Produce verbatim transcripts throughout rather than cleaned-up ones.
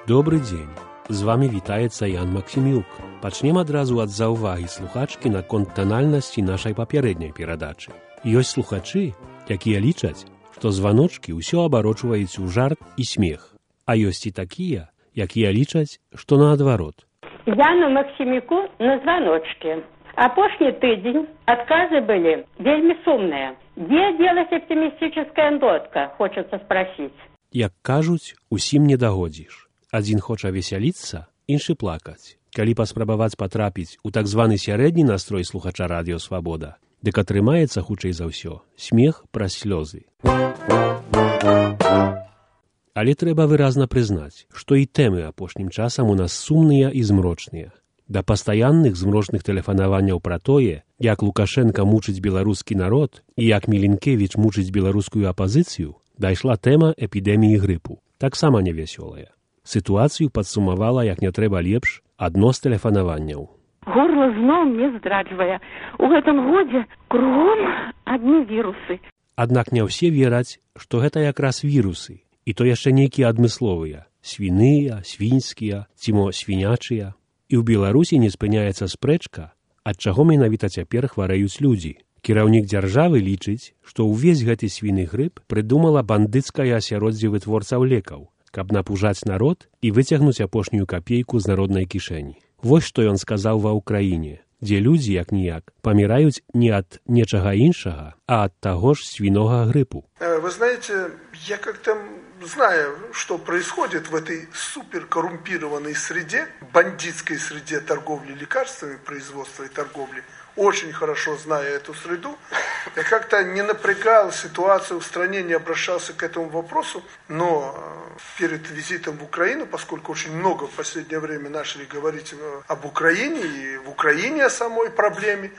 Добры дзень. З вами вітаецца Ян Максімюк. Пачнем адразу ад заўвагі слухачкі наконт танальнасці нашай папярэдняй перадачы. Ёсць слухачы, якія лічаць, што званочкі ўсё абарочваюць у жарт і смех. А ёсць і такія, якія лічаць, што наадварот. Яну Максімюку на званочкі. Апошні тыдзень адказы былі вельмі сумныя. Где делась оптимистическая нотка, хочется спросить. Як кажуць, усім не дагодзіш. Адзін хоча весяліцца, іншы плакаць. Калі паспрабаваць патрапіць у так званы сярэдні настрой слухача радыё Свабода, дык атрымаецца, хутчэй за ўсё, смех праз слёзы. Але трэба выразна прызнаць, што і тэмы апошнім часам у нас сумныя і змрочныя. Да пастаянных змрочных тэлефанаванняў пра тое, як Лукашенка мучыць беларускі народ і як Міленкевіч мучыць беларускую апазіцыю, дайшла тэма эпідэміі грыпу, таксама невясёлая. Сітуацыю падсумавала, як не трэба лепш, адно з тэлефанаванняў. Горла зноў не здраджвае. У гэтым годзе кругом адны вірусы. Аднак не ўсе вераць, што гэта якраз вірусы, і то яшчэ нейкія адмысловыя, свіныя, свінскія, ці мо свінячыя. І ў Беларусі не спыняецца спрэчка, ад чаго менавіта цяпер хварэюць людзі. Кіраўнік дзяржавы лічыць, што ўвесь гэты свіны грып прыдумала бандыцкае асяроддзе вытворцаў лекаў, каб напужаць народ і выцягнуць апошнюю капейку з народнай кішэні. Вось што ён сказаў ва ўкраіне, дзе людзі, як-ніяк, паміраюць не ад нечага іншага, а ад таго ж свінога грыпу. Вы знаете, я как-то зная, что происходит в этой суперкоррумпированной среде, бандитской среде торговли лекарствами, производства и торговли, очень хорошо зная эту среду, я как-то не напрягал ситуацию в стране, не обращался к этому вопросу, но перед визитом в Украину, поскольку очень много в последнее время начали говорить об Украине и в Украине о самой проблеме,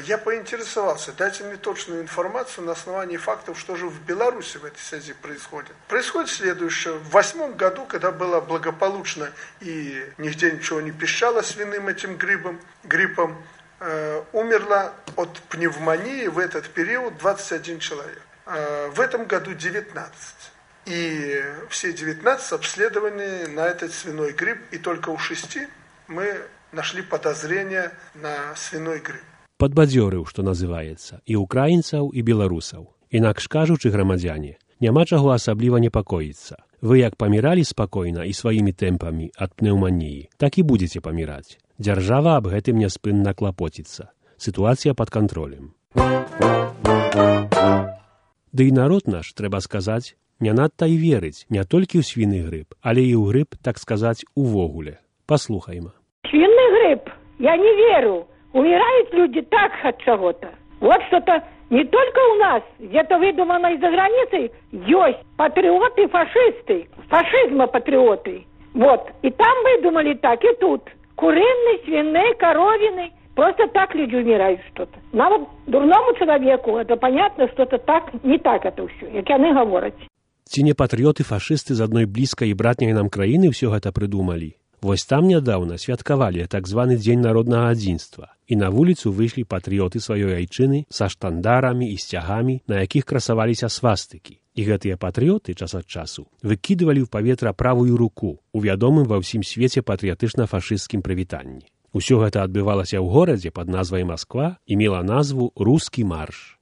я поинтересовался, дайте мне точную информацию на основании фактов, что же в Беларуси в этой связи происходит. Происходит следующее. В восьмом году, когда было благополучно и нигде ничего не пищало свиным этим гриппом, гриппом, э, умерло от пневмонии в этот период двадцать один человек. Э, в этом году девятнадцать. И все девятнадцать обследованы на этот свиной грипп, и только у шести мы нашли подозрение на свиной грипп. Падбадзёрыў, што называецца, і украінцаў, і беларусаў. Інакш кажучы, грамадзяне, няма чаго асабліва непакоіцца. Вы як паміралі спакойна і сваімі тэмпамі ад пнеўманіі, так і будзеце паміраць. Дзяржава аб гэтым няспынна клапоціцца. Сітуацыя пад кантролем. Ды і народ наш, трэба сказаць, не надта і верыць не толькі ў свіны грып, але і ў грып, так сказаць, увогуле. Паслухайма. Свиный грипп, я не верю. Умирают люди так от чего-то. Вот что-то не только у нас, где-то выдумано из-за границы, есть патриоты-фашисты, фашизма-патриоты. Вот, и там выдумали так, и тут. Куриный, свиный, коровины. Просто так люди умирают что-то. Нам вот, дурному человеку, это понятно, что-то так, не так это все, як яны говорят. Ці не патрыёты-фашысты з адной блізкай і братняй нам краіны ўсё гэта прыдумалі? Вось там нядаўна святкавалі так званы дзень народнага адзінства, і на вуліцу выйшлі патрыёты сваёй айчыны са штандарамі і сцягамі, на якіх красаваліся свастыкі. І гэтыя патрыёты час ад часу выкідвалі ў паветра правую руку у вядомым ва ўсім свеце патрыятычна-фашысцкім прывітанні. Усё гэта адбывалася ў горадзе пад назвай Масква і мела назву «Рускі марш».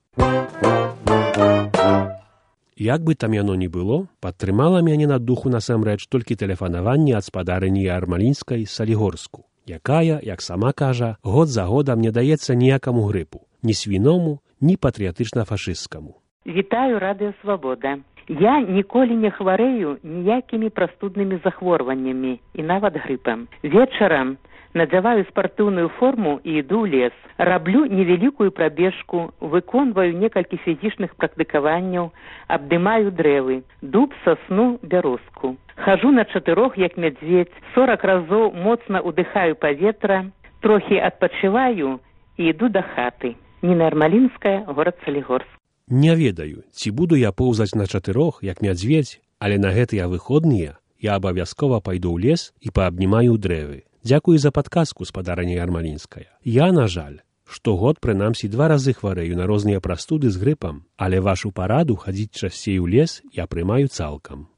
Як бы там яно ні было, падтрымала мяне на духу насамрэч толькі тэлефанаванне ад спадарыні Ярмалінскай з Салігорску, якая, як сама кажа, год за годам не даецца ніякаму грыпу, ні свіному, ні патрыятычна-фашысцкаму. Вітаю радыё Свабода. Я ніколі не хварэю ніякімі прастуднымі захворваннямі і нават грыпам. Вечарам надзяваю спартыўную форму і іду ў лес. Раблю невялікую прабежку, выконваю некалькі фізічных практыкаванняў, абдымаю дрэвы, дуб, сасну, бярозку. Хажу на чатырох, як мядзведзь, сорак разоў моцна ўдыхаю паветра, трохі адпачываю і іду да хаты. Ніна Ярмалінская, горад Салігорск. Не ведаю, ці буду я поўзаць на чатырох, як мядзведзь, але на гэтыя выходныя я абавязкова пайду ў лес і паабнімаю дрэвы. Дзякую за падказку, спадарыня Ярмалінская. Я, на жаль, штогод прынамсі два разы хварэю на розныя прастуды з грыпам, але вашу параду хадзіць часцей у лес я прымаю цалкам.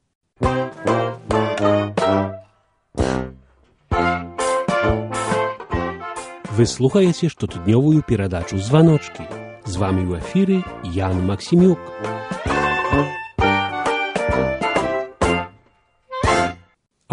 Вы слухаете штотыднёвую перадачу «Званочки». З вами ў эфіры Ян Максімюк.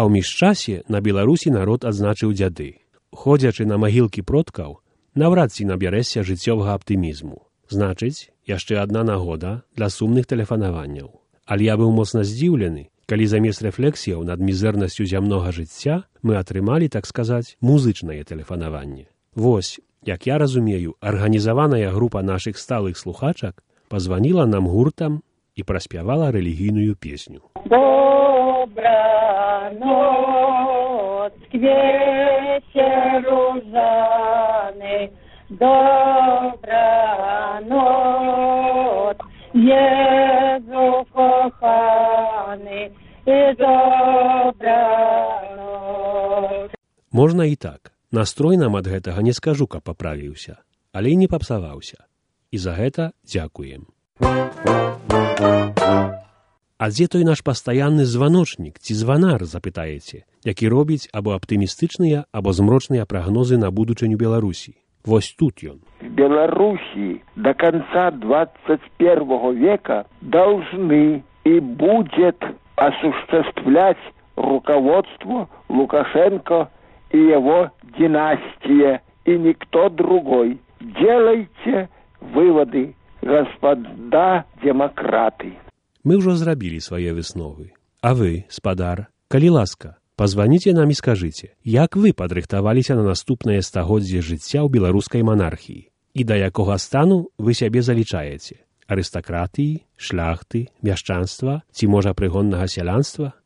А ў міжчасе на Беларусі народ адзначыў дзяды. Ходзячы на магілкі продкаў, наўрад ці набярэшся жыццёвага аптымізму. Значыць, яшчэ адна нагода для сумных тэлефанаванняў. Але я быў моцна здзіўлены, калі замест рэфлексіяў над мізэрнасцю зямнога жыцця мы атрымалі, так сказаць, музычнае тэлефанаванне. Вось, як я разумею, арганізаваная група нашых сталых слухачак пазваніла нам гуртам і праспявала рэлігійную песню. Добра ноc, вечеру жаны, добра ноc, Jezu kochany, i добра ноc. Можна і так. Настрой нам ад гэтага не скажу, каб паправіўся, але і не папсаваўся. І за гэта дзякуем. А дзе той наш пастаянны званочнік ці званар, запытаеце, які робіць або аптымістычныя, або змрочныя прагнозы на будучыню Беларусі? Вось тут ён. В Беларуси до конца двадцать первого века должны и будет осуществлять руководство Лукашенко и его династия, и никто другой. Делайте выводы, господа демократы. Мы ўжо зрабілі свае высновы. А вы, спадар, калі ласка, пазваніце нам і скажыце, як вы падрыхтаваліся на наступнае стагоддзе жыцця ў беларускай манархіі і да якога стану вы сябе залічаеце? Арыстакратыі, шляхты, мяшчанства ці, можа, прыгоннага сялянства?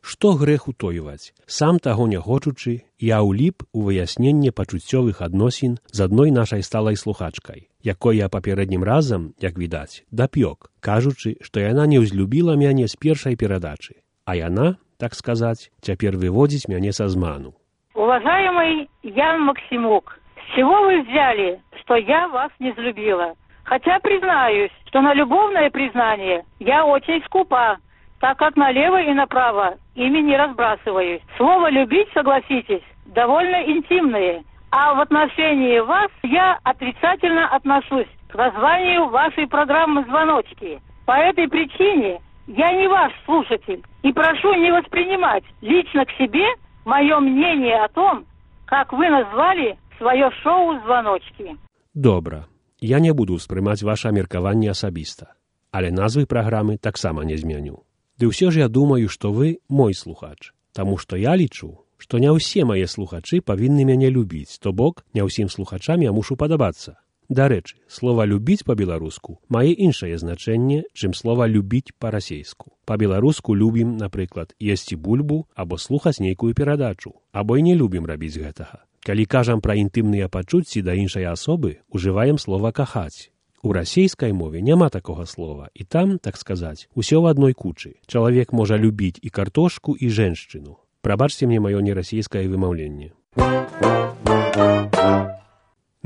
Што грэх утойваць? Сам таго не хочучы, я ўліп у выясненне пачуццёвых адносін з адной нашай сталай слухачкай, якой я папярэднім разам, як відаць, дапёк, кажучы, што яна не ўзлюбіла мяне з першай перадачы, а яна, так сказаць, цяпер выводзіць мяне са зману. Уважаемый Ян Максимук, с чего вы взяли, что я вас не взлюбила? Хотя признаюсь, что на любовное признание я очень скупа, так как налево и направо ими не разбрасываюсь. Слово «любить», согласитесь, довольно интимное. А в отношении вас я отрицательно отношусь к названию вашей программы «Звоночки». По этой причине я не ваш слушатель и прошу не воспринимать лично к себе мое мнение о том, как вы назвали свое шоу «Звоночки». Добра. Я не буду ўспрымаць ваша меркаванне асабіста, але назвы праграмы таксама не змяню. Ды ўсё ж я думаю, што вы мой слухач, таму што я лічу, што не ўсе мае слухачы павінны мяне любіць, то бок не ўсім слухачам я мушу падабацца. Дарэчы, слова «любіць» па-беларуску мае іншае значэнне, чым слова «любіць» па-расейску. Па-беларуску любім, напрыклад, есці бульбу або слухаць нейкую перадачу, або і не любім рабіць гэтага. Калі кажам пра інтымныя пачуцці да іншай асобы, ужываем слова «кахаць». У расейскай мове няма такога слова, і там, так сказаць, усё в адной кучы. Чалавек можа любіць і картошку, і жэншчыну. Прабачце мне маё нерасейскае вымаўленне.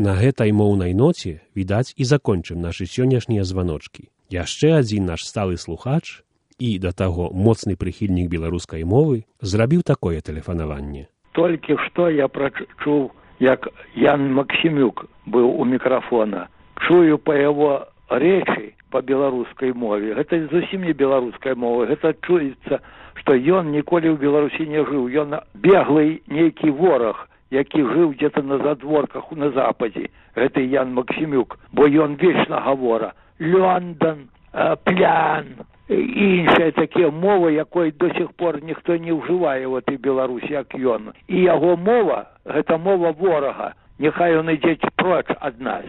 На гэтай моўнай ноце, відаць, і закончым нашы сённяшнія званочкі. Яшчэ адзін наш сталы слухач і, да таго, моцны прыхільнік беларускай мовы зрабіў такое тэлефанаванне. Толькі што я прачуў, як Ян Максимюк быў у мікрафона. Чую по его речи по беларускай мове. Гэта зусім не беларуская мова. Гэта чуецца, што ён ніколі ў Беларусі не жыў. Ён беглый нейкі вораг, які жыў где-то на задворках на западзе. Гэта Ян Максимюк, бо ён вечна гавора. Лондон, плян і іншыя такія мовы, якой до сих пор ніхто не ўжывае в этой Беларусі, як ён. І яго мова, гэта мова ворага. Няхай ён ідзе проч ад нас.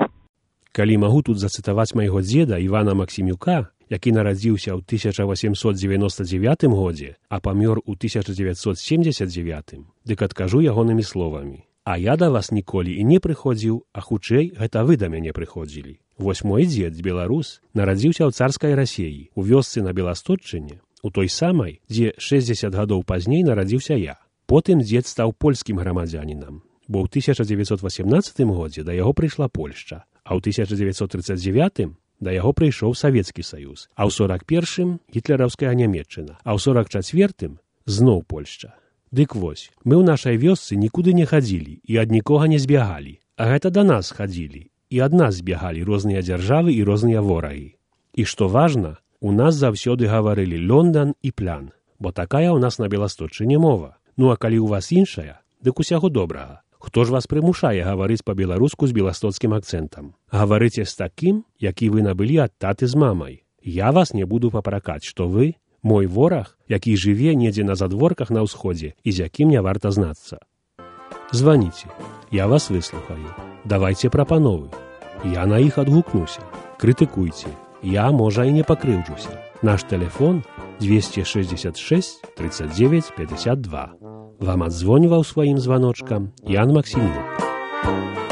Калі магу тут зацытаваць майго дзеда Івана Максімюка, які нарадзіўся ў тысяча васемсот дзевяноста дзевятым годзе, а памёр у тысяча дзевяцьсот семдзесят дзевятым, дык адкажу ягонымі словамі. А я да вас ніколі і не прыходзіў, а хутчэй гэта вы да мяне прыходзілі. Вось мой дзед, беларус, нарадзіўся ў царскай Расеі, у вёсцы на Беластотчыне, у той самай, дзе шэсцьдзесят гадоў пазней нарадзіўся я. Потым дзед стаў польскім грамадзянінам, бо ў тысяча дзевяцьсот васемнаццатым годзе да яго прыйшла Польшча. А ў тысяча дзевяцьсот трыццаць дзевятым да яго прыйшоў Савецкі Саюз, а ў сорак першым гітлераўская Нямецчына, а ў сорак чацвёртым зноў Польшча. Дык вось, мы ў нашай вёсцы нікуды не хадзілі і ад нікога не збягалі, а гэта да нас хадзілі, і ад нас збягалі розныя дзяржавы і розныя ворагі. І што важна, у нас заўсёды гаварылі Лондан і плян, бо такая ў нас на Беласточчыне мова. Ну а калі ў вас іншая, дык усяго добрага. Хто ж вас прымушае гаварыць па-беларуску з беластоцкім акцэнтам? Гаварыце з такім, які вы набылі ад таты з мамай. Я вас не буду папракаць, што вы мой вораг, які жыве недзе на задворках на ўсходзе і з якім не варта знацца. Званіце, я вас выслухаю. Давайце прапановы. Я на іх адгукнуся. Крытыкуйце. Я, можа, і не пакрыўджуся. Наш тэлефон двести шестьдесят шесть тридцать девять пятьдесят два. Вам адзвоньваў сваім званочкам Ян Максімюк.